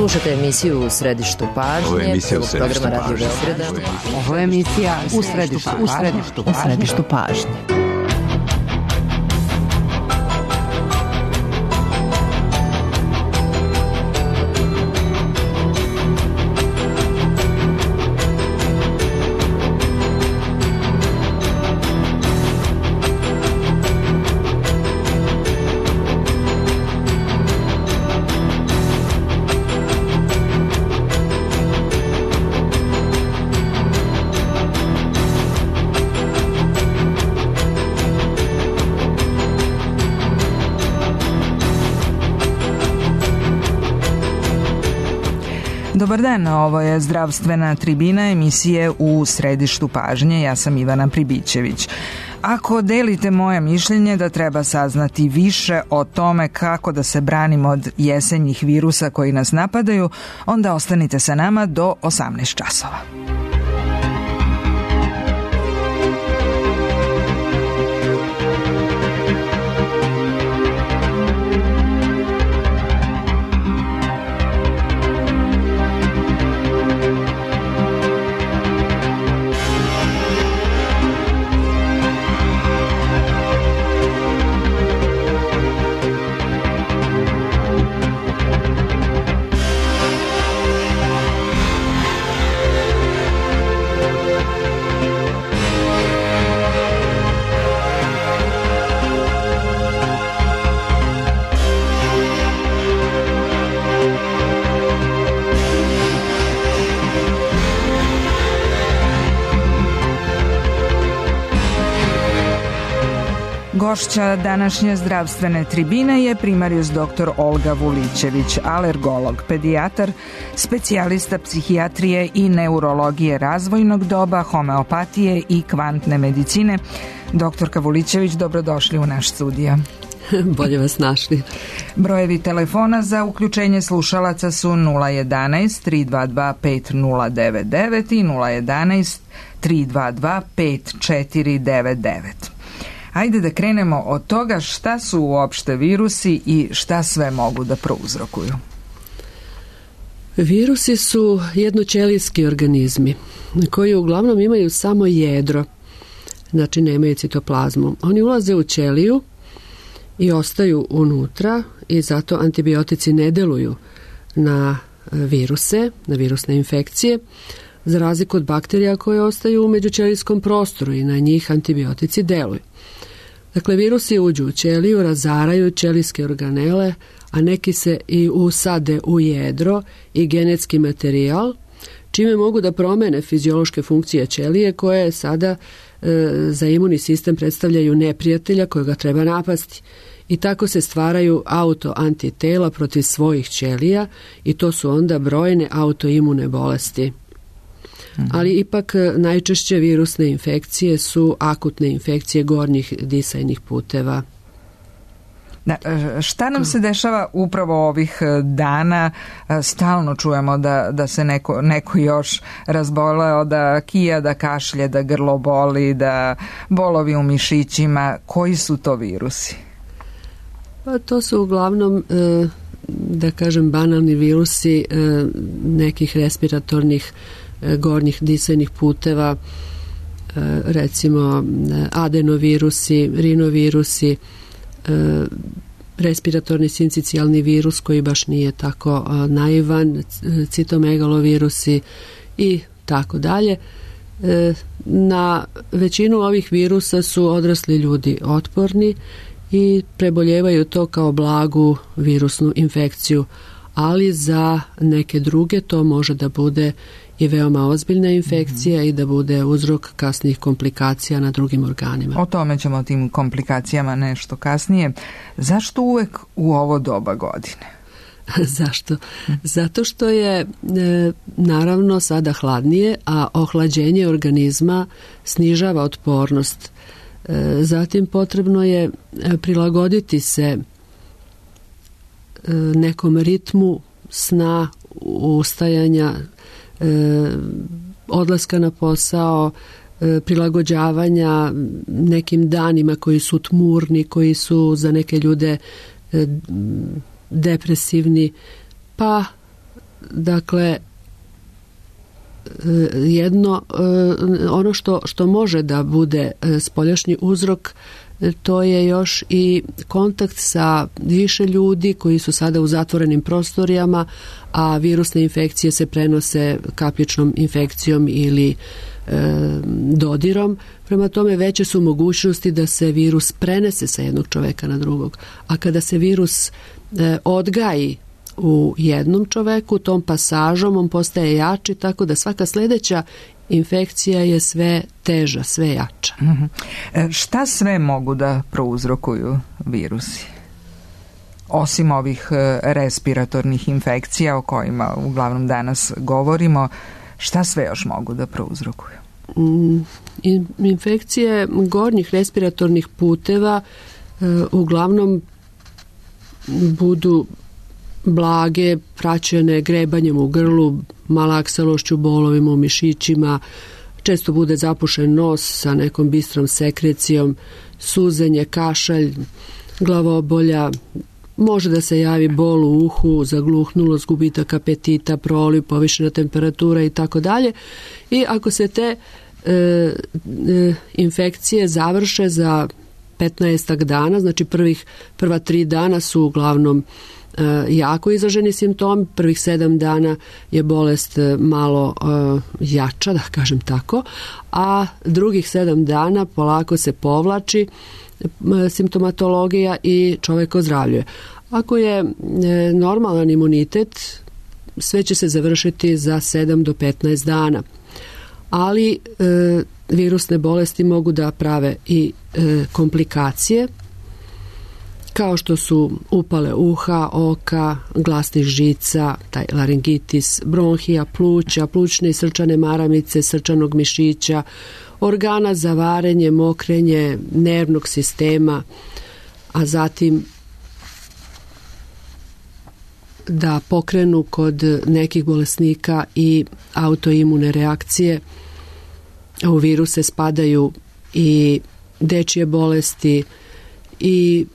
Slušate emisiju U središtu pažnje. Ovo je emisija U središtu pažnje. Ovo je emisija U središtu pažnje. Dobar dan, ovo je zdravstvena tribina emisije U središtu pažnje. Ja sam Ivana Pribićević. Ako delite moje mišljenje da treba saznati više o tome kako da se branimo od jesenjih virusa koji nas napadaju, onda ostanite sa nama do 18 časova. Gošća današnje zdravstvene tribine je primarijus dr. Olga Vulićević, alergolog, pedijatar, specijalista psihijatrije i neurologije razvojnog doba, homeopatije i kvantne medicine. Doktorka Vulićević, dobrodošli u naš studio. Bolje vas našli. Brojevi telefona za uključenje slušalaca su 011 322 5099 i 011 322 5499. Ajde da krenemo od toga šta su uopšte virusi i šta sve mogu da prouzrokuju. Virusi su jednoćelijski organizmi koji uglavnom imaju samo jedro, znači nemaju citoplazmu. Oni ulaze u ćeliju i ostaju unutra i zato antibiotici ne deluju na viruse, na virusne infekcije, za razliku od bakterija koje ostaju u međućelijskom prostoru i na njih antibiotici deluju. Dakle, virusi uđu u ćeliju, razaraju ćelijske organele, a neki se i usade u jedro i genetski materijal, čime mogu da promene fiziološke funkcije ćelije koje sada za imunni sistem predstavljaju neprijatelja kojega treba napasti. I tako se stvaraju autoantitela protiv svojih ćelija i to su onda brojne autoimune bolesti. Ali ipak najčešće virusne infekcije su akutne infekcije gornjih disajnih puteva. Šta nam se dešava upravo ovih dana? Stalno čujemo da se neko još razboleo, da kija, da kašlje, da grlo boli, da bolovi u mišićima. Koji su to virusi? Pa to su uglavnom, da kažem, banalni virusi nekih respiratornih gornjih disajnih puteva, recimo adenovirusi, rinovirusi, respiratorni sincicijalni virus koji baš nije tako naivan, citomegalovirusi i tako dalje. Na većinu ovih virusa su odrasli ljudi otporni i preboljevaju to kao blagu virusnu infekciju, ali za neke druge to može da bude i veoma ozbiljna infekcija i da bude uzrok kasnijih komplikacija na drugim organima. O tome ćemo, o tim komplikacijama nešto kasnije. Zašto uvek u ovo doba godine? Zašto? Zato što je naravno sada hladnije, a ohlađenje organizma snižava otpornost. Zatim potrebno je prilagoditi se nekom ritmu sna, ustajanja, odlaska na posao, prilagođavanja nekim danima koji su tmurni, koji su za neke ljude depresivni, pa dakle, ono što može da bude spoljašnji uzrok, to je još i kontakt sa više ljudi koji su sada u zatvorenim prostorijama, a virusne infekcije se prenose kapljičnom infekcijom ili dodirom. Prema tome, veće su mogućnosti da se virus prenese sa jednog čoveka na drugog. A kada se virus odgaji u jednom čoveku, tom pasažom on postaje jači, tako da svaka sljedeća infekcija je sve teža, sve jača. Šta sve mogu da prouzrokuju virusi? Osim ovih respiratornih infekcija o kojima uglavnom danas govorimo, šta sve još mogu da prouzrokuju? Infekcije gornjih respiratornih puteva uglavnom budu blage, praćene grebanjem u grlu, malaksalošću, bolovima u mišićima, često bude zapušen nos sa nekom bistrom sekrecijom, suzenje, kašalj, glavobolja, može da se javi bol u uhu, zagluhnulost, gubitak apetita, proliv, povišena temperatura i tako dalje. I ako se te infekcije završe za 15 dana, znači prva 3 dana su uglavnom jako izraženi simptomi, prvih 7 dana je bolest malo jača, da kažem tako, a drugih 7 dana polako se povlači simptomatologija i čovjek ozdravljuje. Ako je normalan imunitet, sve će se završiti za 7 do 15 dana. Ali virusne bolesti mogu da prave i komplikacije, kao što su upale uha, oka, glasnih žica, taj laringitis, bronhija, pluća, plućne i srčane maramice, srčanog mišića, organa za varenje, mokrenje, nervnog sistema, a zatim da pokrenu kod nekih bolesnika i autoimune reakcije. U viruse spadaju i dečje bolesti i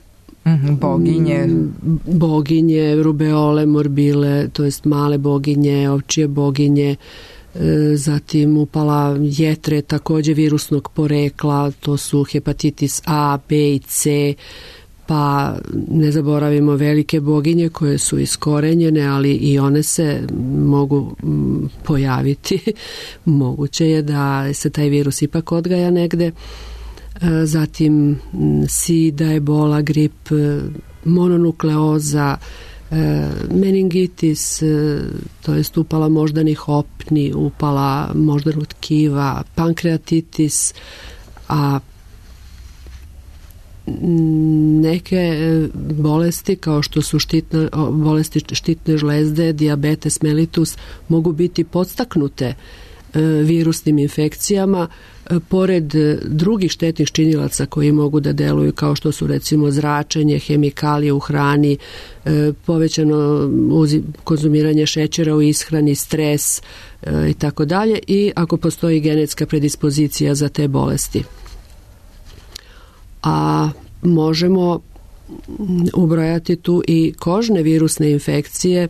boginje, rubeole, morbile, to jest male boginje, ovčje boginje, zatim upala jetre, također virusnog porekla, to su hepatitis A, B i C, pa ne zaboravimo velike boginje koje su iskorenjene, ali i one se mogu pojaviti. Moguće je da se taj virus ipak odgaja negde. Zatim sida, ebola, grip, mononukleoza, meningitis, to jest upala moždanih opni, upala moždanog tkiva, pankreatitis, a neke bolesti kao što su bolesti štitne žlezde, dijabetes mellitus mogu biti podstaknute virusnim infekcijama, pored drugih štetnih činilaca koji mogu da deluju, kao što su recimo zračenje, hemikalije u hrani, povećano konzumiranje šećera u ishrani, stres i tako dalje, i ako postoji genetska predispozicija za te bolesti. A možemo ubrojati tu i kožne virusne infekcije,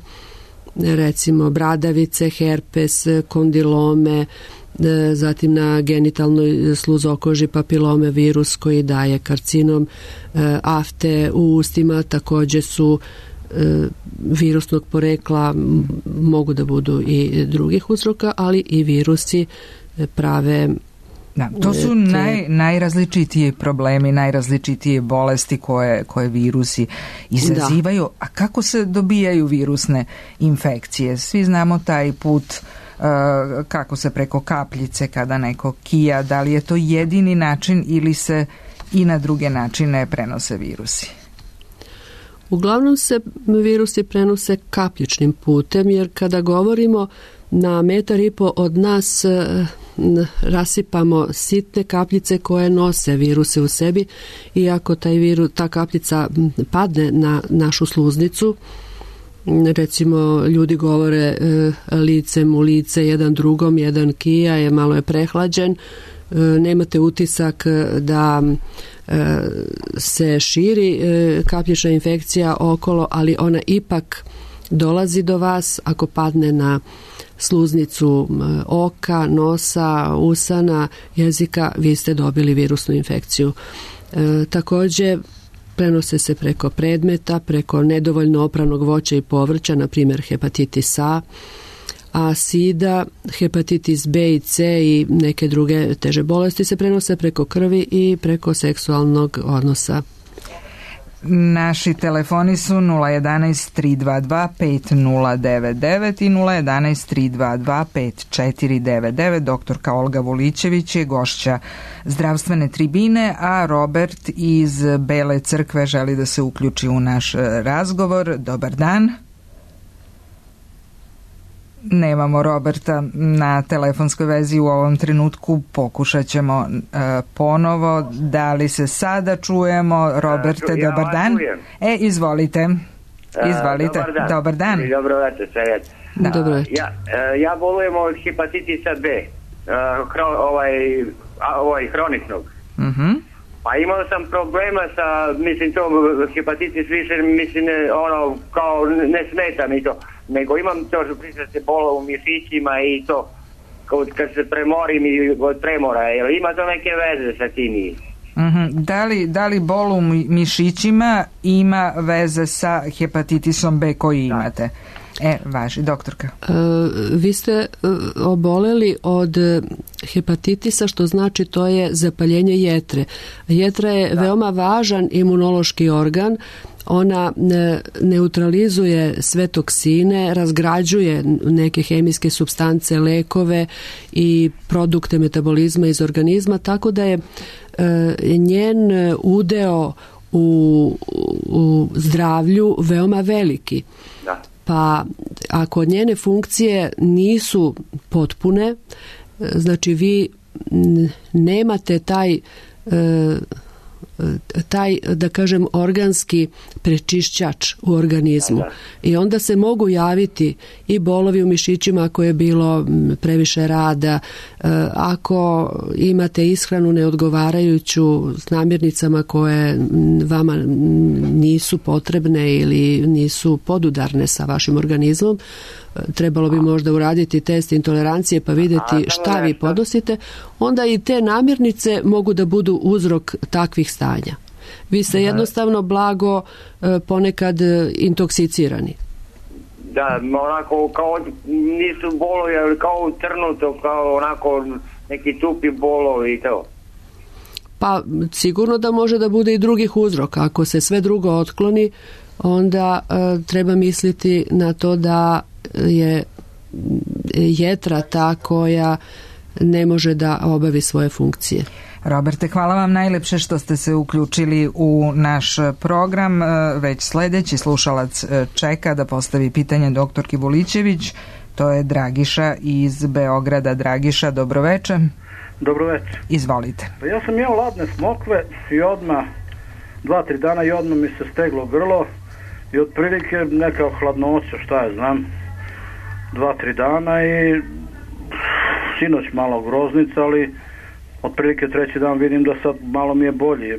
recimo bradavice, herpes, kondilome, zatim na genitalnoj sluzokoži papilome virus koji daje karcinom, afte u ustima također su virusnog porekla, mogu da budu i drugih uzroka, ali i virusi prave. Da, to su najrazličitiji problemi, najrazličitije bolesti koje virusi izazivaju. Da. A kako se dobijaju virusne infekcije? Svi znamo taj put kako se preko kapljice kada neko kija, da li je to jedini način ili se i na druge načine prenose virusi? Uglavnom se virusi prenose kapljičnim putem, jer kada govorimo na 1,5 metar od nas rasipamo sitne kapljice koje nose viruse u sebi, i ako ta kapljica padne na našu sluznicu, recimo ljudi govore licem u lice jedan drugom, jedan kija, malo je prehlađen, nemate utisak da se širi kapljična infekcija okolo, ali ona ipak dolazi do vas, ako padne na sluznicu oka, nosa, usana, jezika, vi ste dobili virusnu infekciju. Također, prenose se preko predmeta, preko nedovoljno opranog voća i povrća, na primjer hepatitis A, sida, hepatitis B i C i neke druge teže bolesti se prenose preko krvi i preko seksualnog odnosa. Naši telefoni su 011 322 5099 i 011 322 5499. Doktorka Olga Vulićević je gošća zdravstvene tribine, a Robert iz Bele Crkve želi da se uključi u naš razgovor. Dobar dan. Nemamo Roberta na telefonskoj vezi u ovom trenutku, pokušat ćemo ponovo. Da li se sada čujemo? Roberte, dobar dan. Izvolite. Izvolite. Dobar dan. Dobro večer, Dobro večer. Ja bolujem od hepatitisa B, hroničnog. Pa imao sam problema sa, to hepatitis više, kao ne smeta mi to, nego imam to što se bola u mišićima i to, kad se premorim i od premora, ima to neke veze sa tim? Da li bol u mišićima ima veze sa hepatitisom B koji imate? Važi, doktorka. Vi ste oboleli od hepatitisa, što znači to je zapaljenje jetre. Jetra je veoma važan imunološki organ. Ona neutralizuje sve toksine, razgrađuje neke hemijske supstance, lekove i produkte metabolizma iz organizma, tako da je njen udeo u zdravlju veoma veliki. Da. Pa ako njene funkcije nisu potpune, znači vi nemate taj da kažem organski prečišćač u organizmu i onda se mogu javiti i bolovi u mišićima ako je bilo previše rada, ako imate ishranu neodgovarajuću s namirnicama koje vama nisu potrebne ili nisu podudarne sa vašim organizmom, trebalo bi možda uraditi test intolerancije pa vidjeti šta vi podnosite, onda i te namirnice mogu da budu uzrok takvih stanja. Vi ste jednostavno blago ponekad intoksicirani. Da, onako kao nisu bolovi, ali kao trnuto, kao onako neki tupi bolovi i to. Pa sigurno da može da bude i drugih uzroka. Ako se sve drugo otkloni, onda treba misliti na to da je jetra ta koja ne može da obavi svoje funkcije. Roberte, hvala vam najlepše što ste se uključili u naš program. Već sljedeći slušalac čeka da postavi pitanje doktorki Vulićević. To je Dragiša iz Beograda. Dragiša, dobroveče. Dobroveče. Izvolite. Pa ja sam jeo ladne smokve i odmah 2-3 dana i odmah mi se steglo grlo i otprilike neka hladnoća, šta je znam, 2-3 dana i sinoć malo groznica, ali otprilike treći dan vidim da sad malo mi je bolje.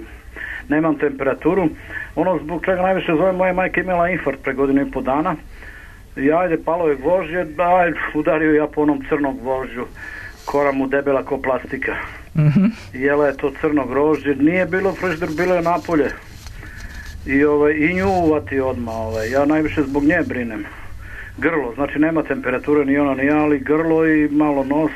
Nemam temperaturu. Ono zbog čega najviše zove, moja majka imala infarkt pre 1,5 dana. I ajde, palo je gvožđe, udario ja po onom crnom gvožđu. Kora mu debela ko plastika. Jela je to crno grožđe. Nije bilo frižider, bilo je napolje. I nju uvati odmah. Ja najviše zbog nje brinem. Grlo, znači nema temperature ni ona ni ja, ali grlo i malo nos.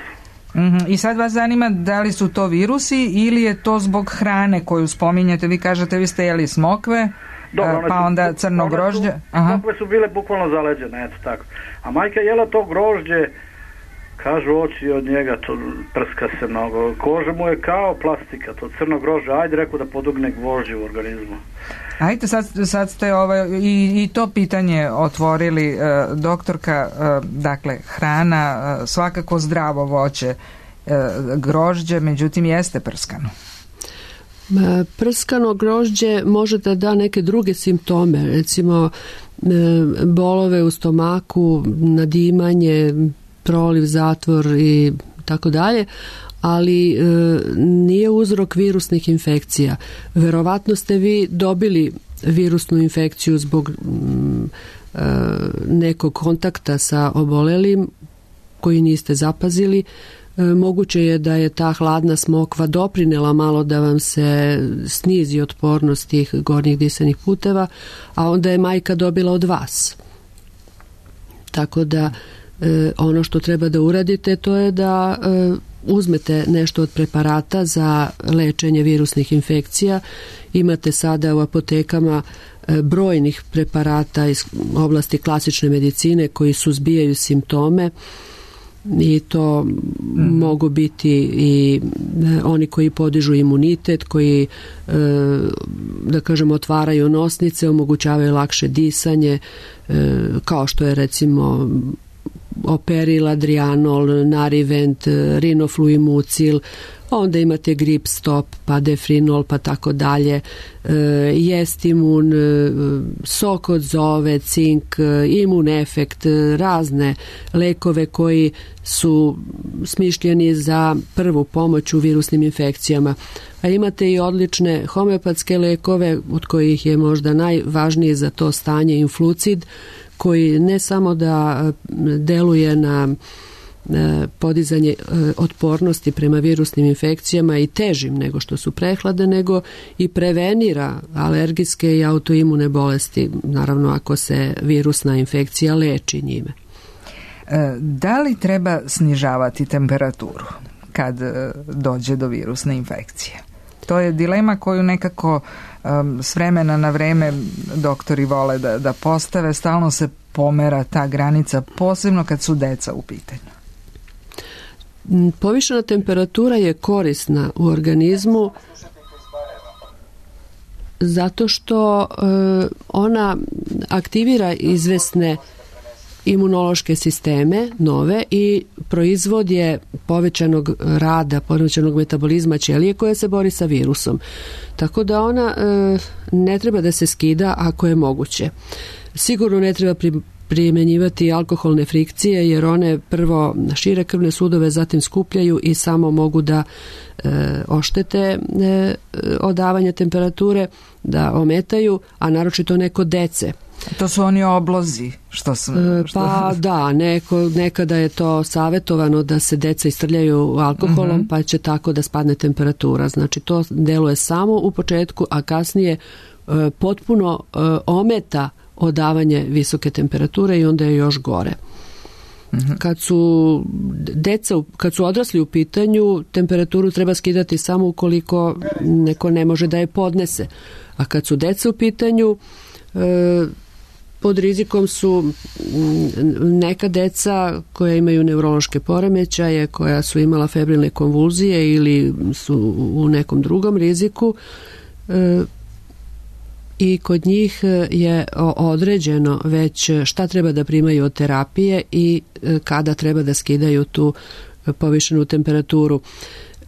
I sad vas zanima da li su to virusi ili je to zbog hrane koju spominjete? Vi kažete vi ste jeli smokve, dobro, pa onda crno grožđe. Smokve su bile bukvalno zaleđene, eto tako. A majka jela to grožđe, kažu oči od njega, to prska se mnogo. Koža mu je kao plastika, to crno grožđe, ajde rekao da podugne gvožđe u organizmu. Ajde, sad ste i to pitanje otvorili, doktorka, dakle, hrana, svakako zdravo voće, grožđe, međutim jeste prskano. Prskano grožđe može da neke druge simptome, recimo bolove u stomaku, nadimanje, proliv, zatvor i tako dalje, ali nije uzrok virusnih infekcija. Verovatno ste vi dobili virusnu infekciju zbog nekog kontakta sa obolelim koji niste zapazili, moguće je da je ta hladna smokva doprinela malo da vam se snizi otpornost tih gornjih disanih puteva, a onda je majka dobila od vas. Tako da ono što treba da uradite to je da uzmete nešto od preparata za lečenje virusnih infekcija. Imate sada u apotekama brojnih preparata iz oblasti klasične medicine koji suzbijaju simptome i to mogu biti i oni koji podižu imunitet, koji da kažem otvaraju nosnice, omogućavaju lakše disanje, kao što je recimo Operil, Adrianol, Narivent, Rinofluimucil, onda imate Grip Stop, pa Defrinol, pa tako dalje, Jestimun, sok od zove, cink, Imun Efekt, razne lekove koji su smišljeni za prvu pomoć u virusnim infekcijama. A imate i odlične homeopatske lekove, od kojih je možda najvažniji za to stanje Influcid, koji ne samo da deluje na podizanje otpornosti prema virusnim infekcijama i težim nego što su prehlade, nego i prevenira alergijske i autoimune bolesti, naravno ako se virusna infekcija leči njime. Da li treba snižavati temperaturu kad dođe do virusne infekcije? To je dilema koju nekako s vremena na vreme doktori vole da postave, stalno se pomera ta granica, posebno kad su deca u pitanju. Povišena temperatura je korisna u organizmu zato što ona aktivira izvesne imunološke sisteme nove i proizvod je povećanog rada, povećanog metabolizma ćelije koja se bori sa virusom. Tako da ona ne treba da se skida ako je moguće. Sigurno ne treba primjenjivati alkoholne frikcije jer one prvo šire krvne sudove, zatim skupljaju i samo mogu da oštete odavanje temperature, da ometaju, a naročito neko dece. To su oni oblozi Pa da, nekada je to savjetovano da se deca istrljaju alkoholom, pa će tako da spadne temperatura. Znači to deluje samo u početku, a kasnije potpuno ometa odavanje visoke temperature i onda je još gore. Kad su odrasli u pitanju, temperaturu treba skidati samo ukoliko neko ne može da je podnese. A kad su deca u pitanju, pod rizikom su neka deca koja imaju neurološke poremećaje, koja su imala febrilne konvulzije ili su u nekom drugom riziku, i kod njih je određeno već šta treba da primaju od terapije i kada treba da skidaju tu povišenu temperaturu.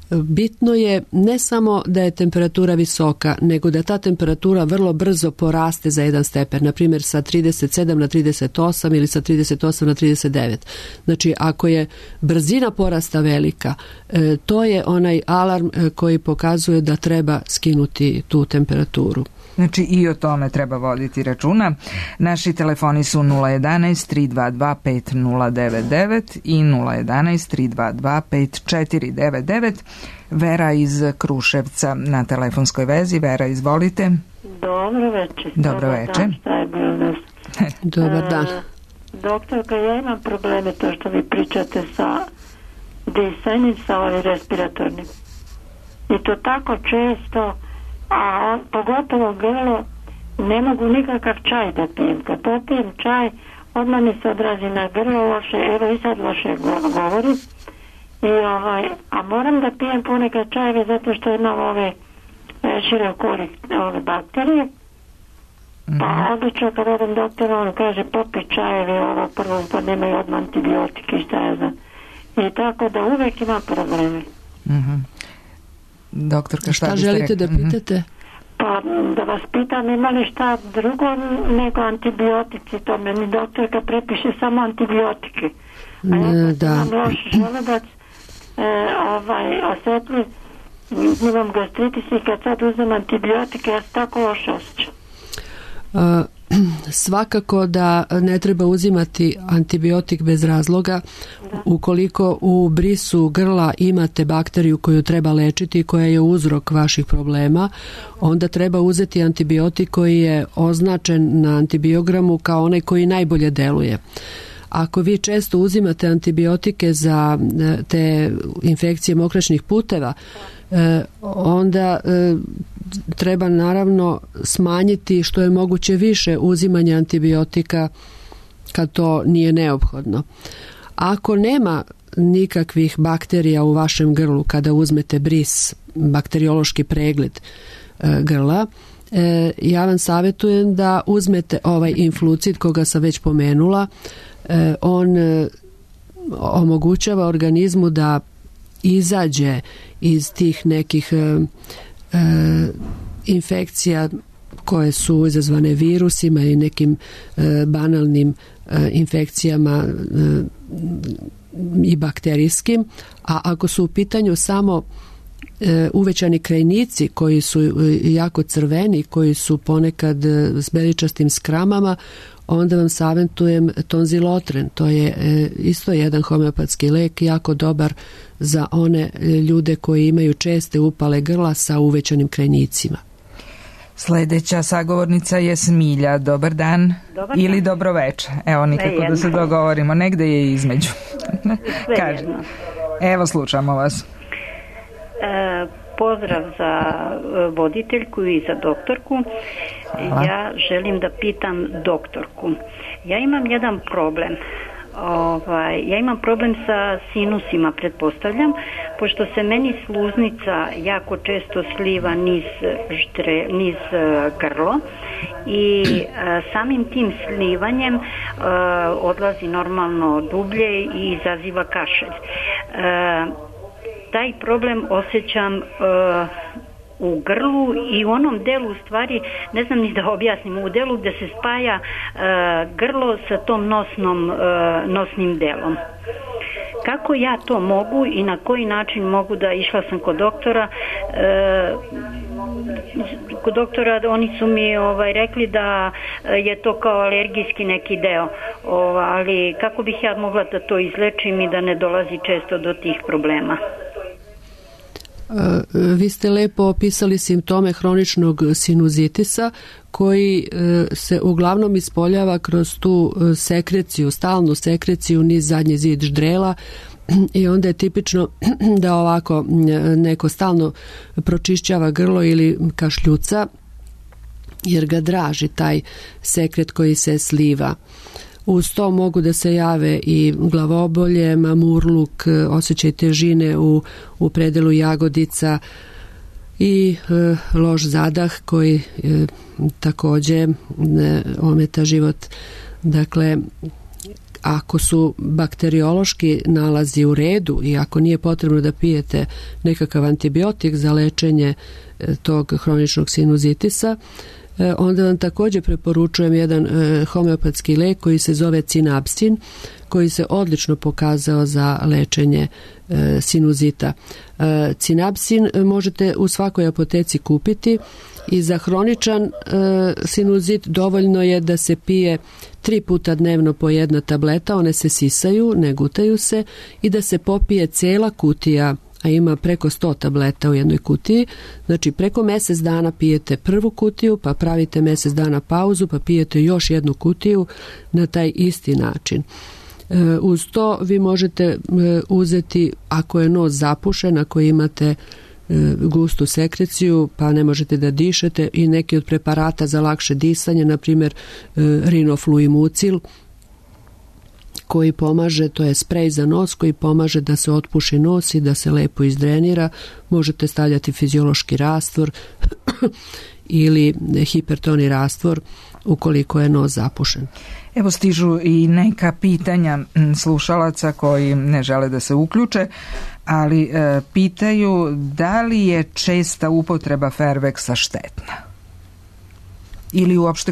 Bitno je ne samo da je temperatura visoka, nego da ta temperatura vrlo brzo poraste za 1 stepen, na primjer sa 37 na 38 ili sa 38 na 39. Znači, ako je brzina porasta velika, to je onaj alarm koji pokazuje da treba skinuti tu temperaturu. Znači i o tome treba voditi računa. Naši telefoni su 011 322 5099 i 011 322 5499. Vera iz Kruševca na telefonskoj vezi. Vera, izvolite. Dobro večer. Dobro večer. Dobar dan. Doktorka, ja imam probleme to što vi pričate sa disanjem, sa ovim respiratornim. I to tako često, a pogotovo grlo, ne mogu nikakav čaj da pijem. Kad popijem čaj, odmah mi se odrazi na grlo loše, evo i sad loše govorim. A moram da pijem ponekad čajeve zato što imam ove širokori bakterije. Pa obično kad odem doktora, on kaže popi čajeve, ovo prvo pa nemaju odmah antibiotike, šta ja znam. I tako da uvek imam probleme. Doktorka, šta želite da pitate? Pa da vas pitam, ima li šta drugo nego antibiotici, to meni doktorka prepiše samo antibiotike. A ja imam loš želudac, osjetljiv, imam gastritis i kad sad uzmem antibiotike, ja se tako loše osjećam. Svakako da ne treba uzimati antibiotik bez razloga. Ukoliko u brisu grla imate bakteriju koju treba lečiti i koja je uzrok vaših problema, onda treba uzeti antibiotik koji je označen na antibiogramu kao onaj koji najbolje deluje. Ako vi često uzimate antibiotike za te infekcije mokraćnih puteva, onda treba naravno smanjiti što je moguće više uzimanja antibiotika kad to nije neophodno. Ako nema nikakvih bakterija u vašem grlu kada uzmete bris, bakteriološki pregled grla, ja vam savjetujem da uzmete ovaj influcid koga sam već pomenula. On omogućava organizmu da izađe iz tih nekih infekcija koje su izazvane virusima i nekim banalnim infekcijama i bakterijskim, a ako su u pitanju samo uvećani krajnici koji su jako crveni, koji su ponekad s beličastim skramama, onda vam savjetujem tonzilotren. To je isto jedan homeopatski lek, jako dobar za one ljude koji imaju česte upale grla sa uvećanim krajnicima. Sljedeća sagovornica je Smilja. Dobar dan. Dobar ili dan. dobro večer. Evo, nikako da se dogovorimo. Negde je između. Kaže. Evo, slušamo vas. Pozdrav za voditeljku i za doktorku. Hvala. Ja želim da pitam doktorku. Ja imam jedan problem. Ja imam problem sa sinusima, pretpostavljam, pošto se meni sluznica jako često sliva niz grlo i samim tim slivanjem odlazi normalno dublje i izaziva kašelj. Taj problem osjećam u grlu i u onom delu, u stvari, ne znam ni da objasnim, u delu gdje se spaja grlo sa tom nosnim delom. Kako ja to mogu i na koji način mogu da, išla sam kod doktora, oni su mi rekli da je to kao alergijski neki deo, ali kako bih ja mogla da to izlečim i da ne dolazi često do tih problema? Vi ste lepo opisali simptome hroničnog sinuzitisa koji se uglavnom ispoljava kroz tu sekreciju, stalnu sekreciju niz zadnji zid ždrela i onda je tipično da ovako neko stalno pročišćava grlo ili kašljuca jer ga draži taj sekret koji se sliva. Uz to mogu da se jave i glavobolje, mamurluk, osjećaj težine u predelu jagodica i loš zadah koji također ometa život. Dakle, ako su bakteriološki nalazi u redu i ako nije potrebno da pijete nekakav antibiotik za lečenje tog hroničnog sinuzitisa, onda vam također preporučujem jedan homeopatski lek koji se zove cinabsin, koji se odlično pokazao za lečenje sinuzita. Cinabsin možete u svakoj apoteci kupiti i za hroničan sinuzit dovoljno je da se pije 3 puta dnevno po 1 tableta, one se sisaju, ne gutaju se, i da se popije cela kutija, a ima preko 100 tableta u jednoj kutiji. Znači preko mjesec dana pijete prvu kutiju, pa pravite mjesec dana pauzu, pa pijete još jednu kutiju na taj isti način. Uz to vi možete uzeti, ako je nos zapušen, ako imate gustu sekreciju pa ne možete da dišete, i neki od preparata za lakše disanje, na primjer rinofluimucil, koji pomaže, to je sprej za nos koji pomaže da se otpuši nos i da se lepo izdrenira. Možete stavljati fiziološki rastvor ili hipertoni rastvor ukoliko je nos zapušen. Evo, stižu i neka pitanja slušalaca koji ne žele da se uključe, ali pitaju da li je česta upotreba Fairvexa štetna? Ili uopšte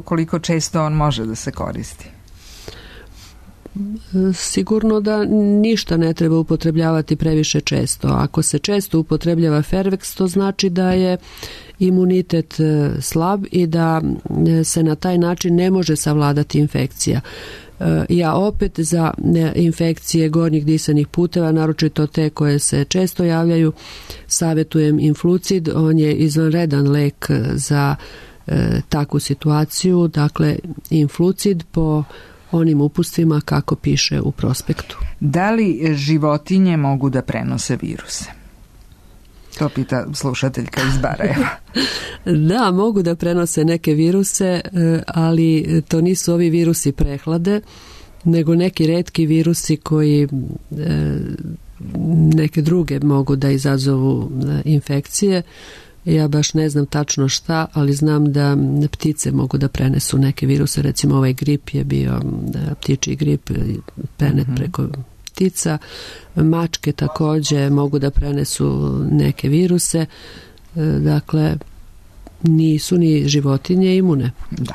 koliko često on može da se koristi? Sigurno da ništa ne treba upotrebljavati previše često. Ako se često upotrebljava Fairvex, to znači da je imunitet slab i da se na taj način ne može savladati infekcija. Ja opet za infekcije gornjih disanih puteva, naročito te koje se često javljaju, savjetujem Influcid. On je izvanredan lek za takvu situaciju. Dakle, Influcid po onim upustvima kako piše u prospektu. Da li životinje mogu da prenose viruse? To pita slušateljka iz Barajeva. Da, mogu da prenose neke viruse, ali to nisu ovi virusi prehlade, nego neki retki virusi koji neke druge mogu da izazovu infekcije. Ja baš ne znam tačno šta, ali znam da ptice mogu da prenesu neke viruse. Recimo ovaj grip je bio ptičji grip, prenet preko ptica. Mačke također mogu da prenesu neke viruse. Dakle, nisu ni životinje imune. Da.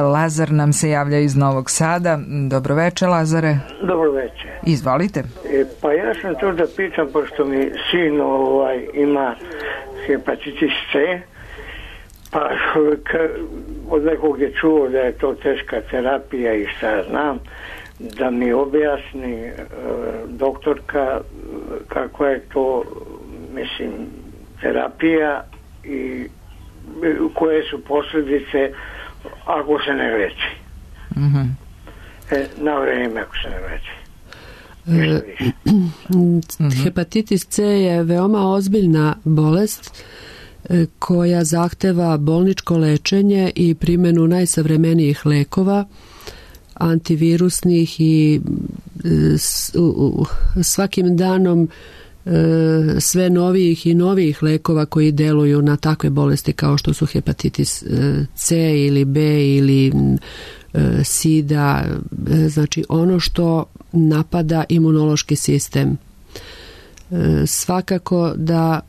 Lazar nam se javlja iz Novog Sada. Dobro večer, Lazare. Dobro večer. Izvolite. Pa ja sam tu da pitam, pošto mi sin ima hepatitis C, pa od nekog je čuo da je to teška terapija i šta znam, da mi objasni doktorka kako je to, mislim, terapija i koje su posljedice ako se ne leči. Na vreme ako se ne leči. Hepatitis C je veoma ozbiljna bolest koja zahteva bolničko lečenje i primjenu najsavremenijih lekova, antivirusnih, i svakim danom sve novijih i novijih lekova koji deluju na takve bolesti kao što su hepatitis C ili B ili sida, znači ono što napada imunološki sistem. Svakako da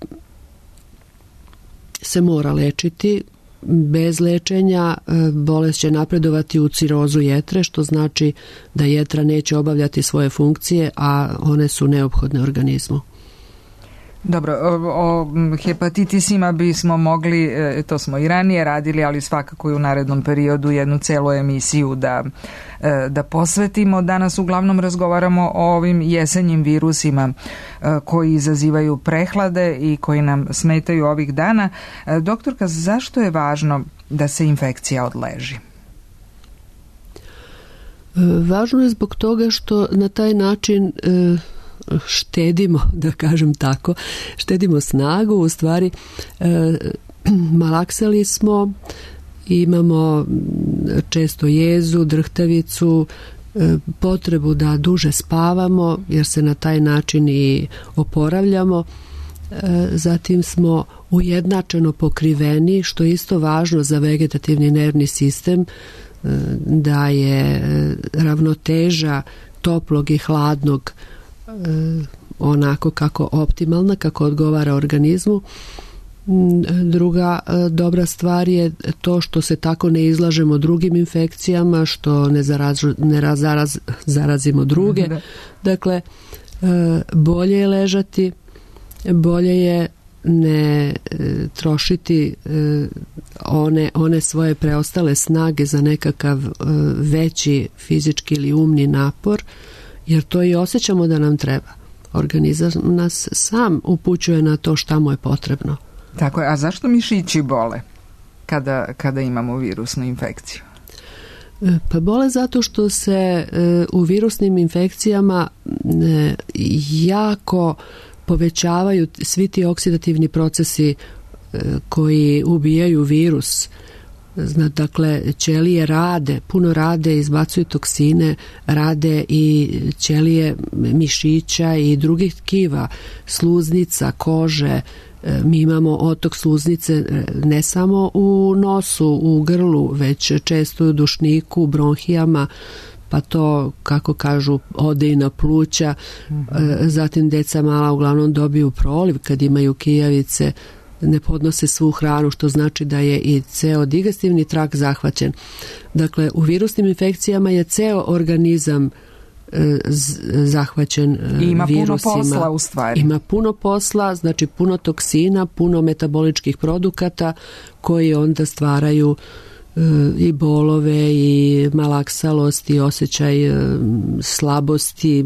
se mora lečiti. Bez lečenja bolest će napredovati u cirozu jetre, što znači da jetra neće obavljati svoje funkcije, a one su neophodne organizmu. Dobro, o hepatitisima bismo mogli, to smo i ranije radili, ali svakako i u narednom periodu jednu celu emisiju da posvetimo. Danas uglavnom razgovaramo o ovim jesenjim virusima koji izazivaju prehlade i koji nam smetaju ovih dana. Doktorka, zašto je važno da se infekcija odleži? Važno je zbog toga što na taj način štedimo, da kažem tako, štedimo snagu, u stvari malaksali smo, imamo često jezu, drhtavicu, potrebu da duže spavamo jer se na taj način i oporavljamo, zatim smo ujednačeno pokriveni, što je isto važno za vegetativni nervni sistem, da je ravnoteža toplog i hladnog onako kako optimalna, kako odgovara organizmu. Druga dobra stvar je to što se tako ne izlažemo drugim infekcijama, što ne zarazimo druge. Dakle, bolje je ležati, bolje je ne trošiti one svoje preostale snage za nekakav veći fizički ili umni napor, jer to i osjećamo da nam treba. Organizam nas sam upućuje na to šta mu je potrebno. Tako je, a zašto mišići bole kada imamo virusnu infekciju? Pa bole zato što se u virusnim infekcijama jako povećavaju svi ti oksidativni procesi koji ubijaju virus. Dakle, ćelije puno rade, izbacuju toksine, rade i ćelije mišića i drugih tkiva, sluznica, kože. Mi imamo otok sluznice ne samo u nosu, u grlu, već često u dušniku, u bronhijama, pa to, kako kažu, ode i na pluća. Zatim deca mala uglavnom dobiju proliv kad imaju kijavice, ne podnose svu hranu, što znači da je i ceo digestivni trakt zahvaćen. Dakle, u virusnim infekcijama je ceo organizam zahvaćen ima virusima. Puno posla u stvari. Ima puno posla, znači puno toksina, puno metaboličkih produkata koji onda stvaraju i bolove i malaksalost i osjećaj slabosti,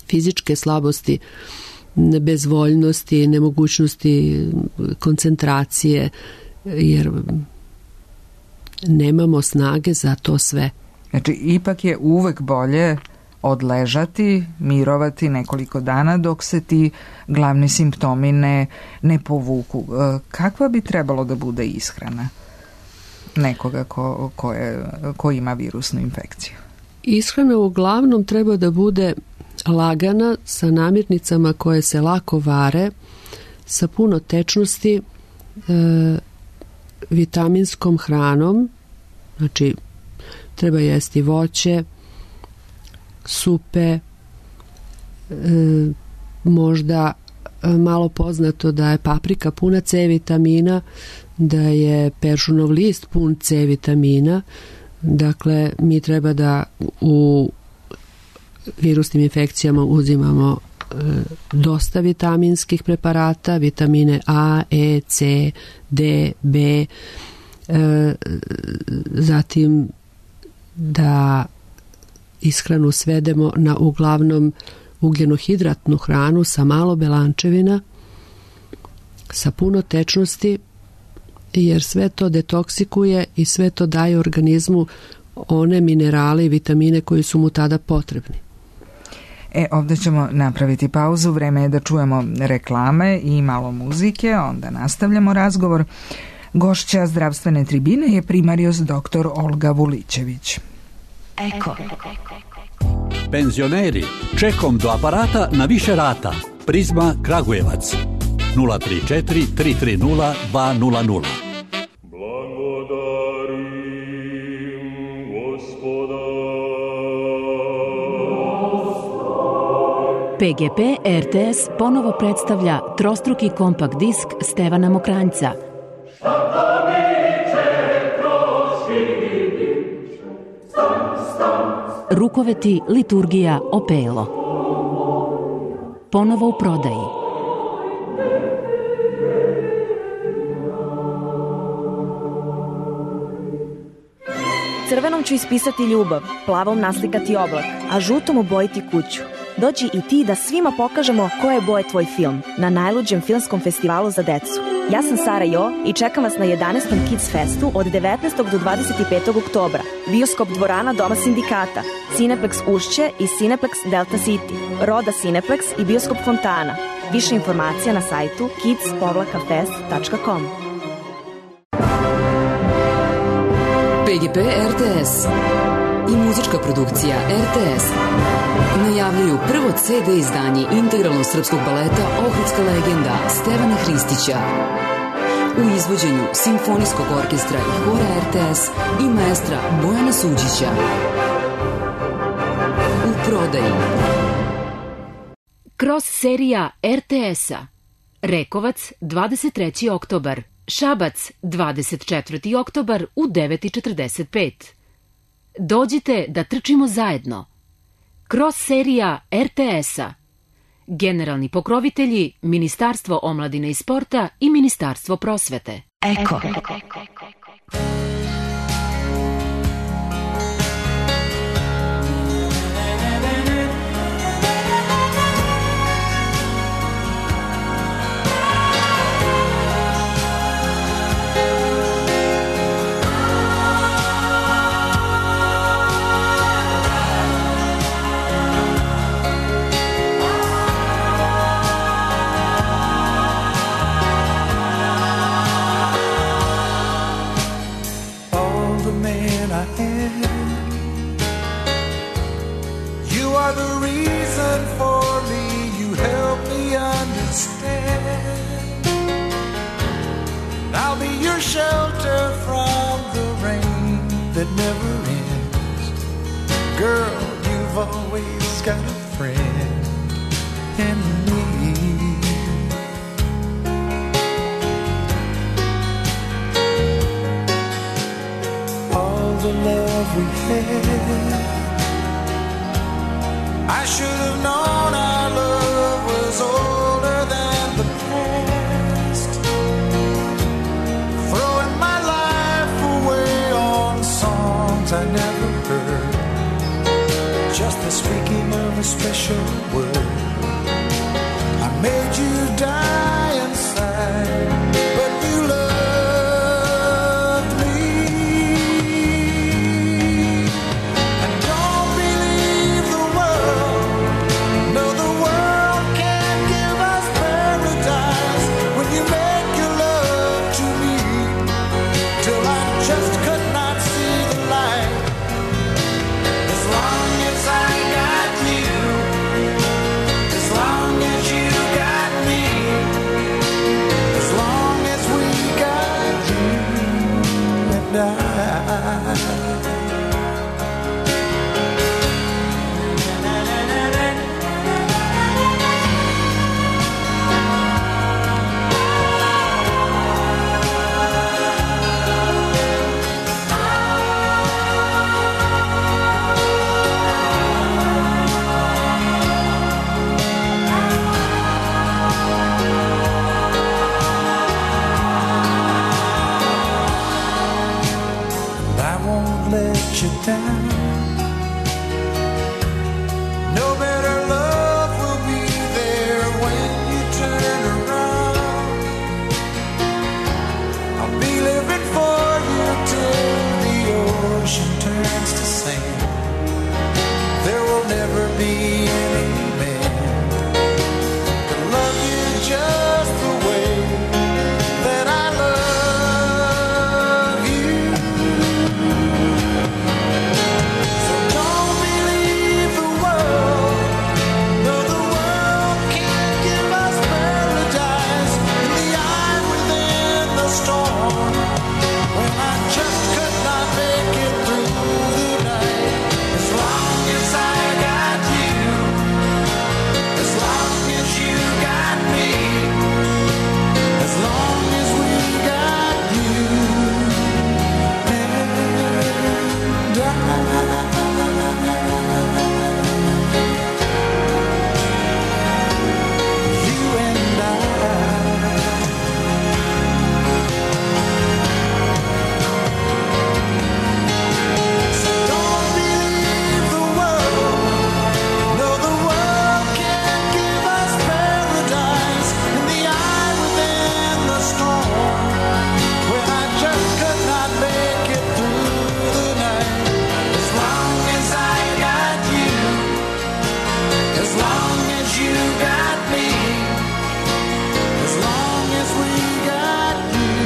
fizičke slabosti, bezvoljnosti, nemogućnosti koncentracije, jer nemamo snage za to sve. Znači, ipak je uvek bolje odležati, mirovati nekoliko dana dok se ti glavni simptomi ne povuku. Kakva bi trebalo da bude ishrana nekoga ko ima virusnu infekciju? Ishrana uglavnom treba da bude lagana, sa namirnicama koje se lako vare, sa puno tečnosti, vitaminskom hranom, znači treba jesti voće, supe, možda malo poznato da je paprika puna C vitamina, da je peršunov list pun C vitamina. Dakle, mi treba da u virusnim infekcijama uzimamo dosta vitaminskih preparata, vitamine A, E, C, D, B, zatim da ishranu svedemo na uglavnom ugljenohidratnu hranu sa malo belančevina, sa puno tečnosti, jer sve to detoksikuje i sve to daje organizmu one minerale i vitamine koji su mu tada potrebni. Ovdje ćemo napraviti pauzu, vreme je da čujemo reklame i malo muzike, onda nastavljamo razgovor. Gošća zdravstvene tribine je primarius dr. Olga Vulićević. Eko. Penzioneri, čekom do aparata na više rata. Prizma Kragujevac 034 330 200. PGP RTS ponovo predstavlja trostruki kompakt disk Stevana Mokranjca. Rukoveti, liturgija, opelo. Ponovo u prodaji. Crvenom ću ispisati ljubav, plavom naslikati oblak, a žutom obojiti kuću. Dođi i ti da svima pokažemo koje je boje tvoj film na najluđem filmskom festivalu za decu. Ja sam Sara Jo i čekam vas na 11. Kids Festu od 19. do 25. oktobra. Bioskop dvorana Doma sindikata, Cineplex Ušće i Cineplex Delta City, Roda Cineplex i Bioskop Fontana. Više informacija na sajtu kids-fest.com. PGP RTS i muzička produkcija RTS najavljuju prvo CD izdanje integralnog srpskog baleta Ohridska legenda Stevana Hristića u izvođenju Simfonijskog orkestra i hora RTS i maestra Bojana Suđića. U prodaji Cross serija RTS-a. Rekovac 23. oktobar, Šabac 24. oktobar u 9:45. Dođite da trčimo zajedno. Cross serija RTS-a. Generalni pokrovitelji Ministarstvo omladine i sporta i Ministarstvo prosvete. Eko. Shelter from the rain that never ends. Girl, you've always got a friend in me. All the love we had I should have known our love was older than the past. Throwing my life away on songs I never heard, just the speaking of a special word. I made you die inside, but you loved me. And don't believe the world, no, the world can't give us paradise when you make your love to me, till I just could not see the light. As long as I got you, as long as you got me, as long as we got you and I. I won't let you down. No better love will be there when you turn around. I'll be living for you till the ocean turns to sand. There will never be any man to love you just the way that I love you. So don't believe the world, no, the world can't give us paradise in the eye within the storm, when I just could not make it through the night. As long as I got you, as long as you got me, as long as we got you and you and I. So don't believe the world, no, the world can't give us paradise in the eye within the storm, when I just could not make it through the night. As long as I got you, as long as you got me, as long as we got you.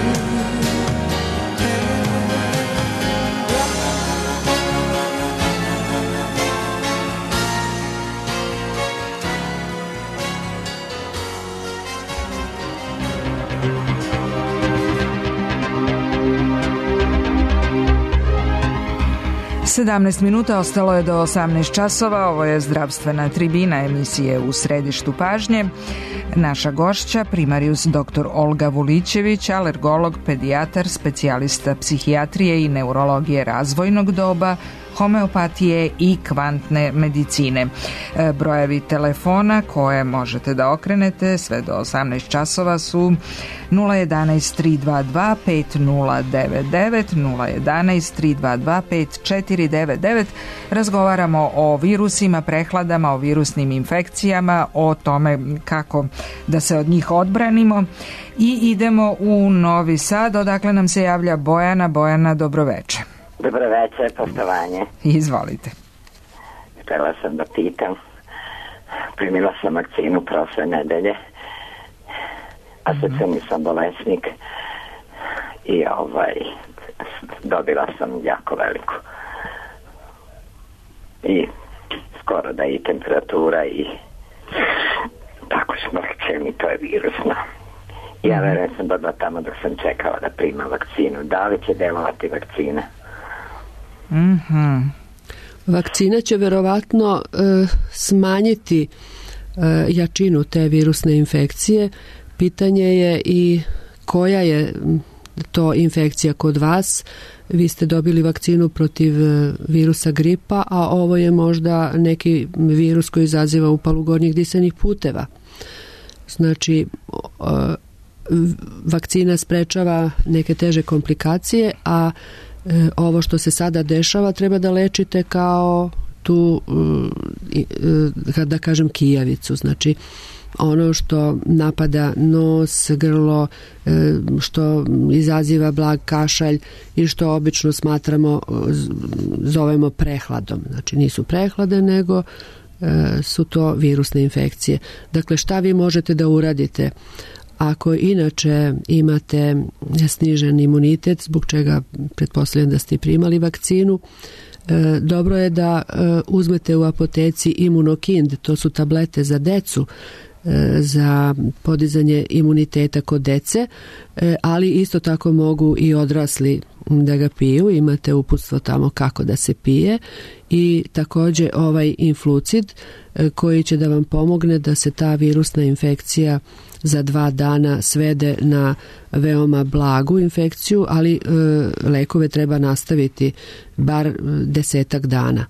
Sedamnaest minuta ostalo je do 18 časova. Ovo je zdravstvena tribina emisije U središtu pažnje. Naša gošća, primarijus dr. Olga Vulićević, alergolog, pedijatar, specijalista psihijatrije i neurologije razvojnog doba, homeopatije i kvantne medicine. Brojevi telefona koje možete da okrenete sve do 18 časova su 011 322 5099, 011 322 5499. Razgovaramo o virusima, prehladama, o virusnim infekcijama, o tome kako da se od njih odbranimo. I idemo u Novi Sad, odakle nam se javlja Bojana. Bojana, dobroveče. Dobro večer, poštovanje. Izvolite. Htjela sam da pitam, primila sam vakcinu prošle nedelje, a sad sam bolesnik i dobila sam jako veliku. I skoro da i temperatura i tako smrće mi, to je virusno. Ja verujem sam bila tamo dok sam čekala da primam vakcinu. Da li će delovati vakcina? Vakcina će verovatno smanjiti jačinu te virusne infekcije. Pitanje je i koja je to infekcija kod vas. Vi ste dobili vakcinu protiv virusa gripa, a ovo je možda neki virus koji izaziva upalu gornjih disanih puteva. Znači, vakcina sprečava neke teže komplikacije, a ovo što se sada dešava treba da lečite kao tu, da kažem, kijavicu. Znači, ono što napada nos, grlo, što izaziva blag kašalj i što obično zovemo prehladom. Znači, nisu prehlade, nego su to virusne infekcije. Dakle, šta vi možete da uradite? Ako inače imate snižen imunitet, zbog čega pretpostavljam da ste primali vakcinu, dobro je da uzmete u apoteci Immunokind, to su tablete za decu, za podizanje imuniteta kod dece, ali isto tako mogu i odrasli da ga piju, imate uputstvo tamo kako da se pije, i također ovaj Influcid koji će da vam pomogne da se ta virusna infekcija za 2 dana svede na veoma blagu infekciju, ali lekove treba nastaviti bar 10 dana.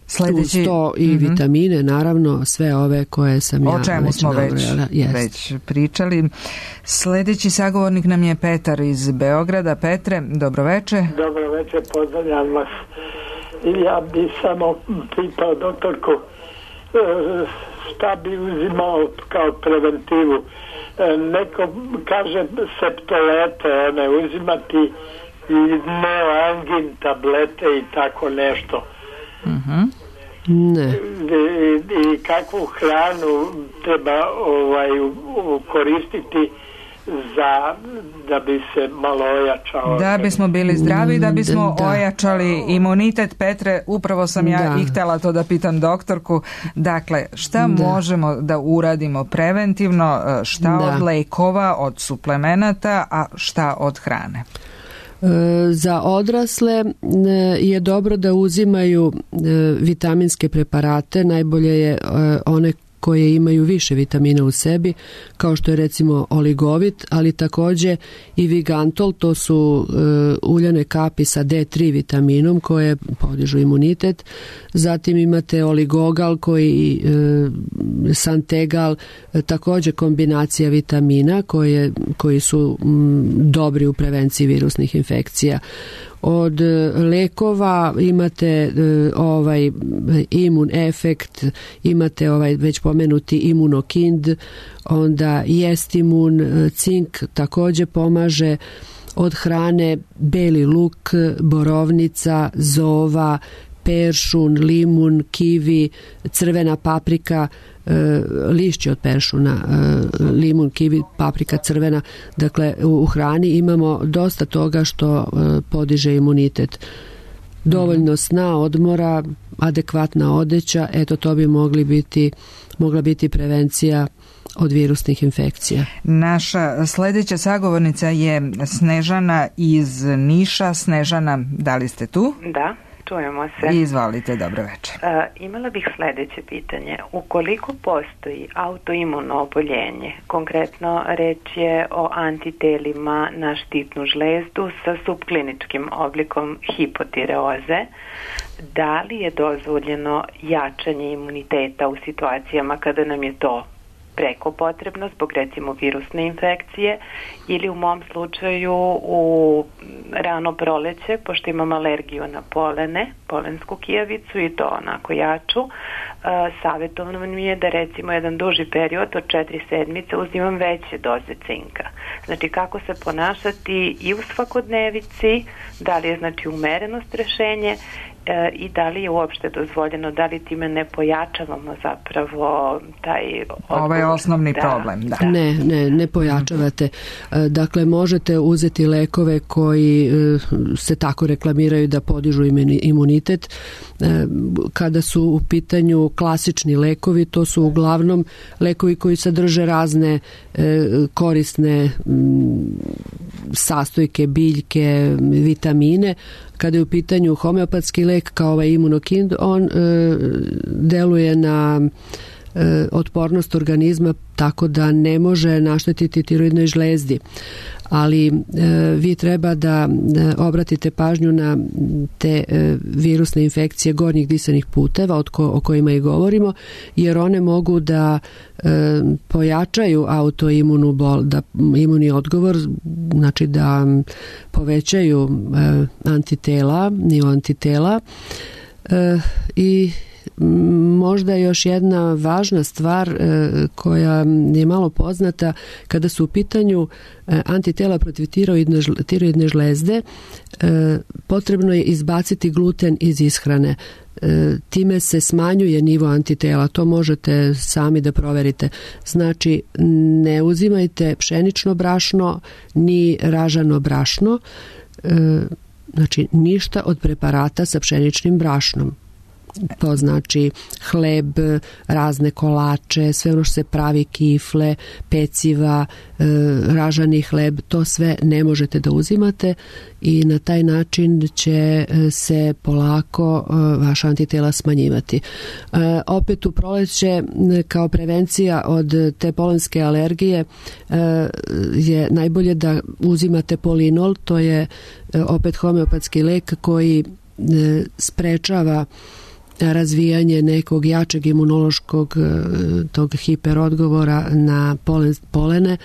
Sledeći, uz to i vitamine, naravno, sve ove koje sam ja o čemu smo već pričali. Sledeći sagovornik nam je Petar iz Beograda. Petre, dobroveče. Dobroveče, pozdravljam vas. Ja bi samo pitao doktorku šta bi uzimao kao preventivu. Neko kaže septolete, one uzimati i neoangin tablete i tako nešto. Ne. I kakvu hranu treba koristiti da bi se malo ojačao, da bismo bili zdravi, da bismo ojačali imunitet. Petre, upravo sam ja i htjela to da pitam doktorku. Dakle, šta možemo da uradimo preventivno, šta od lekova, od suplemenata, a šta od hrane? Za odrasle je dobro da uzimaju vitaminske preparate, najbolje je one koje imaju više vitamina u sebi, kao što je recimo oligovit, ali također i Vigantol, to su uljane kapi sa D3 vitaminom koje podižu imunitet. Zatim imate oligogal Santegal, također kombinacija vitamina koji su dobri u prevenciji virusnih infekcija. Od lekova imate Imun Efekt, imate već pomenuti Immunokind, onda Jestimun, cink također pomaže. Od hrane beli luk, borovnica, zova, peršun, limun, kivi, crvena paprika, lišće od peršuna, limun, kivi, paprika crvena. Dakle, u hrani imamo dosta toga što podiže imunitet. Dovoljno sna, odmora, adekvatna odeća, eto to bi mogla biti prevencija od virusnih infekcija. Naša sljedeća sagovornica je Snežana iz Niša. Snežana, da li ste tu? Da. Čujemo se. Izvolite, dobro večer. Imala bih sljedeće pitanje. Ukoliko postoji autoimuno oboljenje, konkretno reč je o antitelima na štitnu žlezdu sa subkliničkim oblikom hipotireoze, da li je dozvoljeno jačanje imuniteta u situacijama kada nam je to preko potrebno zbog recimo virusne infekcije, ili u mom slučaju u rano proleće, pošto imam alergiju na polensku kijavicu i to onako jaču, savjetovano mi je da recimo jedan duži period od 4 sedmice uzimam veće doze cinka. Znači kako se ponašati i u svakodnevici, da li je znači umerenost rešenje i da li je uopšte dozvoljeno, da li time ne pojačavamo zapravo taj odgovor. Ovo je osnovni problem. Da. Ne pojačavate. Dakle, možete uzeti lekove koji se tako reklamiraju da podižu imunitet. Kada su u pitanju klasični lekovi, to su uglavnom lekovi koji sadrže razne korisne sastojke, biljke, vitamine. Kada je u pitanju homeopatski lek kao ovaj Immunokind, on deluje na otpornost organizma tako da ne može naštetiti tiroidnoj žlezdi. Ali vi treba da obratite pažnju na te virusne infekcije gornjih disanih puteva o kojima i govorimo, jer one mogu da pojačaju autoimunu da imunni odgovor, znači da povećaju nivo antitela i možda još jedna važna stvar koja je malo poznata kada su u pitanju antitela protiv tiroidne žlezde, potrebno je izbaciti gluten iz ishrane. Time se smanjuje nivo antitela, to možete sami da proverite. Znači, ne uzimajte pšenično brašno ni ražano brašno, znači ništa od preparata sa pšeničnim brašnom. To znači hleb, razne kolače, sve ono što se pravi, kifle, peciva, ražani hleb, to sve ne možete da uzimate i na taj način će se polako vaša antitela smanjivati. Opet u proleće kao prevencija od te polenske alergije je najbolje da uzimate polinol, to je opet homeopatski lek koji sprečava razvijanje nekog jačeg imunološkog tog hiperodgovora na polene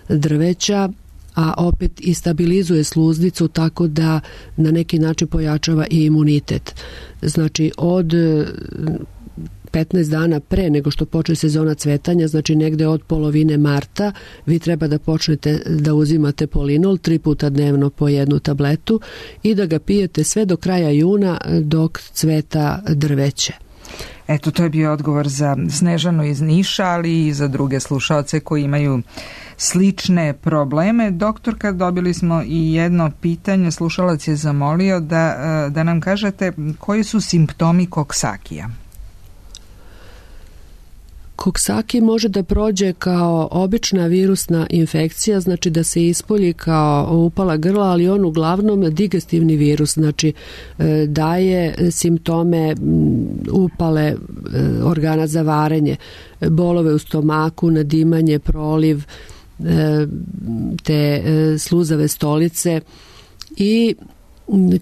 drveća, a opet i stabilizuje sluznicu tako da na neki način pojačava i imunitet. Znači od 15 dana pre nego što počne sezona cvetanja, znači negde od polovine marta, vi treba da počnete da uzimate polinol 3 puta dnevno po 1 tabletu i da ga pijete sve do kraja juna dok cveta drveće. Eto, to je bio odgovor za Snežanu iz Niša, ali i za druge slušaoce koji imaju slične probleme. Doktorka, dobili smo i jedno pitanje. Slušalac je zamolio da nam kažete koji su simptomi koksakija. Koksaki može da prođe kao obična virusna infekcija, znači da se ispolji kao upala grla, ali on uglavnom digestivni virus, znači daje simptome upale organa za varenje, bolove u stomaku, nadimanje, proliv, te sluzave stolice i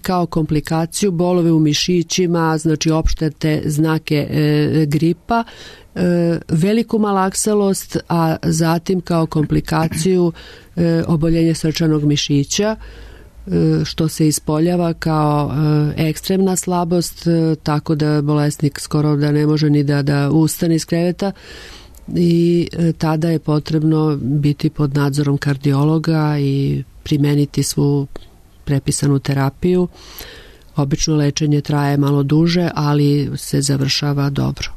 kao komplikaciju bolove u mišićima, znači opšte te znake gripa, veliku malakselost, a zatim kao komplikaciju oboljenje srčanog mišića, što se ispoljava kao ekstremna slabost, tako da bolesnik skoro da ne može ni da ustane iz kreveta i tada je potrebno biti pod nadzorom kardiologa i primeniti svu prepisanu terapiju. Obično lečenje traje malo duže, ali se završava dobro.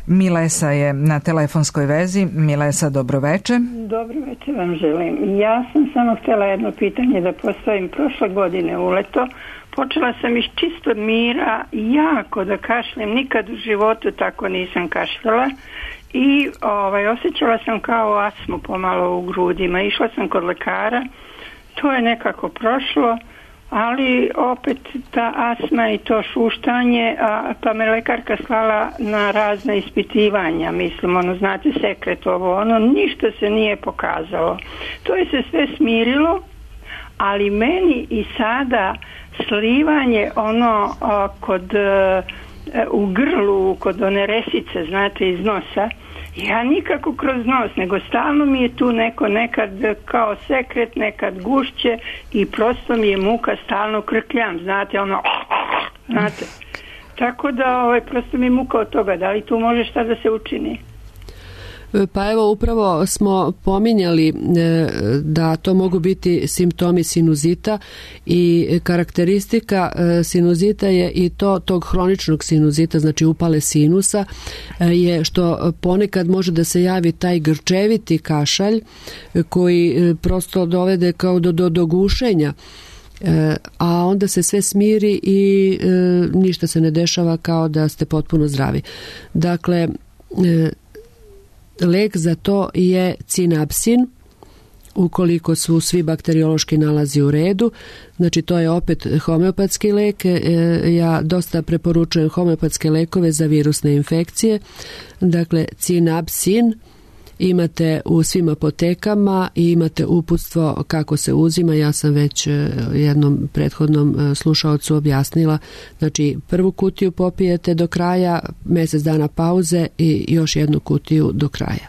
Milesa je na telefonskoj vezi. Milesa, dobroveče. Dobroveče vam želim. Ja sam samo htjela jedno pitanje da postavim. Prošle godine u leto počela sam iz čistog mira jako da kašljem. Nikad u životu tako nisam kašljala i osjećala sam kao astmu pomalo u grudima. Išla sam kod lekara, to je nekako prošlo, ali opet ta astma i to šuštanje, pa me lekarka slala na razna ispitivanja, mislim, znate, sekret ovo, ništa se nije pokazalo. To je se sve smirilo, ali meni i sada slivanje u grlu, kod one resice, znate, iz nosa, ja nikako kroz nos, nego stalno mi je tu nekad kao sekret, nekad gušće i prosto mi je muka, stalno krkljam, znate, znate. Tako da prosto mi je muka od toga, da li tu može šta da se učini? Pa evo, upravo smo pominjali da to mogu biti simptomi sinuzita i karakteristika sinuzita je i tog hroničnog sinuzita, znači upale sinusa, je što ponekad može da se javi taj grčeviti kašalj koji prosto dovede kao do gušenja, a onda se sve smiri i ništa se ne dešava, kao da ste potpuno zdravi. Dakle, lek za to je cinapsin, ukoliko su svi bakteriološki nalazi u redu. Znači to je opet homeopatski lek. Ja dosta preporučujem homeopatske lekove za virusne infekcije. Dakle, Cinabsin imate u svim apotekama i imate uputstvo kako se uzima. Ja sam već jednom prethodnom slušaocu objasnila. Znači, prvu kutiju popijete do kraja, mjesec dana pauze i još jednu kutiju do kraja.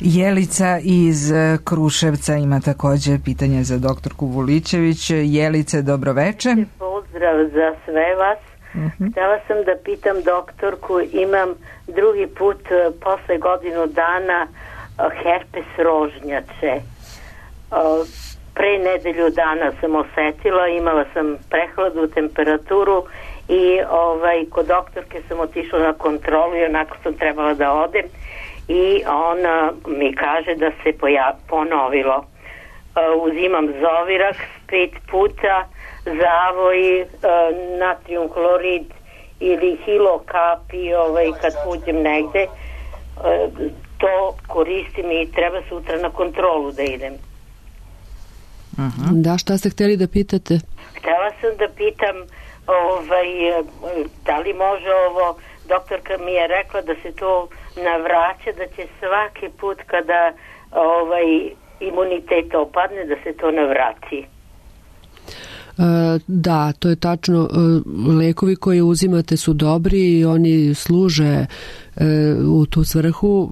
Jelica iz Kruševca ima također pitanje za doktorku Vuličević. Jelice, dobroveče. Pozdrav za sve vas. Htjela sam da pitam doktorku, imam drugi put posle godinu dana herpes rožnjače. Pre nedelju dana sam osetila, imala sam prehladu, temperaturu i kod doktorke sam otišla na kontrolu i onako sam trebala da odem i ona mi kaže da se ponovilo. Uzimam Zovirax 5 puta, zavoj, natrium hlorid ili hilokapi kad uđem negde, to koristim i treba sutra na kontrolu da idem. Da, šta ste htjeli da pitate? Htjela sam da pitam da li može ovo, doktorka mi je rekla da se to navraća, da će svaki put kada imunitet opadne da se to navrati. Da, to je tačno. Lekovi koje uzimate su dobri i oni služe u tu svrhu.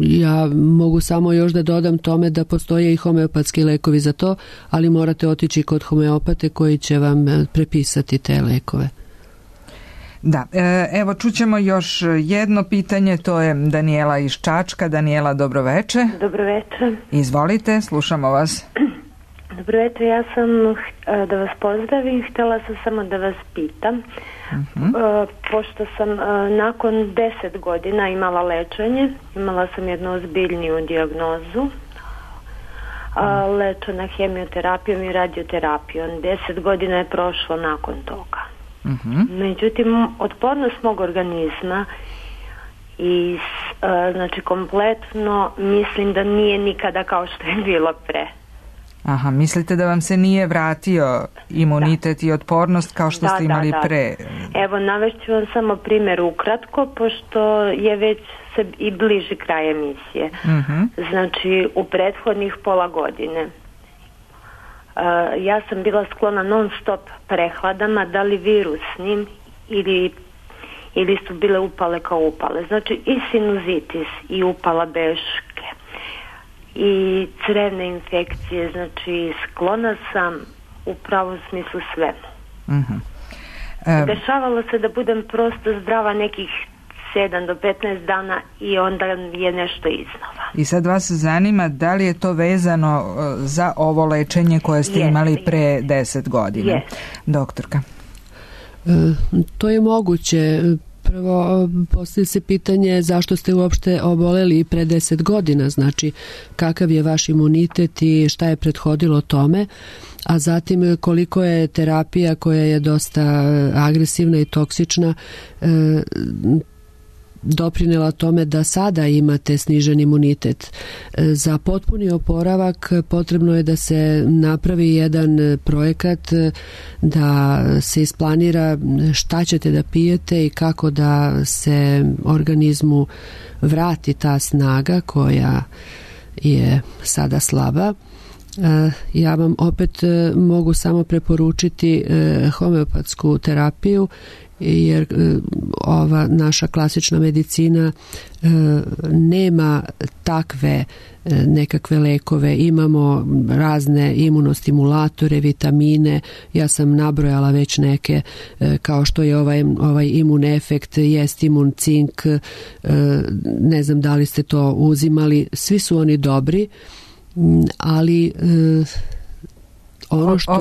Ja mogu samo još da dodam tome da postoje i homeopatski lekovi za to, ali morate otići kod homeopate koji će vam prepisati te lekove. Da, evo čućemo još jedno pitanje, to je Danijela iz Čačka. Danijela, dobroveče. Dobroveče. Izvolite, slušamo vas. Dobroveče, ja sam da vas pozdravim, htjela sam samo da vas pitam. Pošto sam nakon 10 godina imala lečenje, imala sam jednu ozbiljniju dijagnozu, lečena hemioterapijom i radioterapijom. 10 godina je prošlo nakon toga. Međutim, otpornost mog organizma i znači kompletno mislim da nije nikada kao što je bilo pre. Aha, mislite da vam se nije vratio imunitet i otpornost kao što ste imali pre? Evo, navešću vam samo primjer ukratko, pošto je već se i bliži kraj emisije. Znači, u prethodnih pola godine ja sam bila sklona non stop prehladama, da li virusnim ili su bile upale kao upale. Znači i sinuzitis i upala beške i crevne infekcije, znači sklona sam u pravom smislu svemu. Dešavalo se da budem prosto zdrava nekih 7 do 15 dana i onda je nešto iznova. I sad vas zanima da li je to vezano za ovo lečenje koje ste imali pre 10 godina? Doktorka. To je moguće. Prvo postavlja se pitanje zašto ste uopšte oboleli pre 10 godina, znači kakav je vaš imunitet i šta je prethodilo tome, a zatim koliko je terapija koja je dosta agresivna i toksična doprinela tome da sada imate snižen imunitet. Za potpuni oporavak potrebno je da se napravi jedan projekat, da se isplanira šta ćete da pijete i kako da se organizmu vrati ta snaga koja je sada slaba. Ja vam opet mogu samo preporučiti homeopatsku terapiju, jer ova naša klasična medicina nema takve nekakve lekove. Imamo razne imunostimulatore, vitamine, ja sam nabrojala već neke, kao što je ovaj imun efekt, jest imun cink, ne znam da li ste to uzimali, svi su oni dobri, ali ono što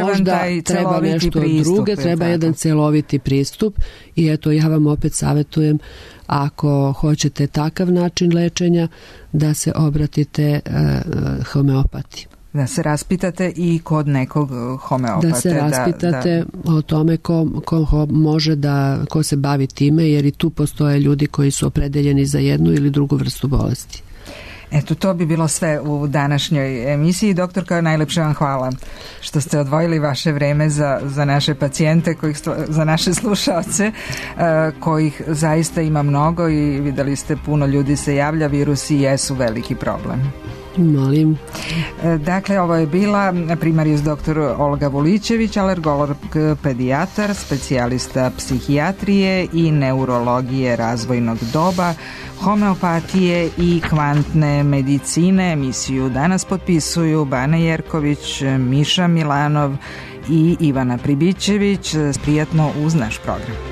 možda treba nešto druge, treba jedan celoviti pristup i eto ja vam opet savjetujem, ako hoćete takav način lečenja, da se obratite homeopati. Da se raspitate i kod nekog homeopate. Da se raspitate o tome ko može ko se bavi time, jer i tu postoje ljudi koji su opredeljeni za jednu ili drugu vrstu bolesti. Eto, to bi bilo sve u današnjoj emisiji. Doktorka, najlepše vam hvala što ste odvojili vaše vreme za naše pacijente, za naše slušaoce, kojih zaista ima mnogo i videli ste, puno ljudi se javlja, virusi jesu veliki problem. Molim. Dakle, ovo je bila primarijus dr. Olga Vulićević, alergolog pedijatar, specijalista psihijatrije i neurologije razvojnog doba, homeopatije i kvantne medicine. Emisiju danas potpisuju Bana Jerković, Miša Milanov i Ivana Pribićević. Prijatno uz naš program.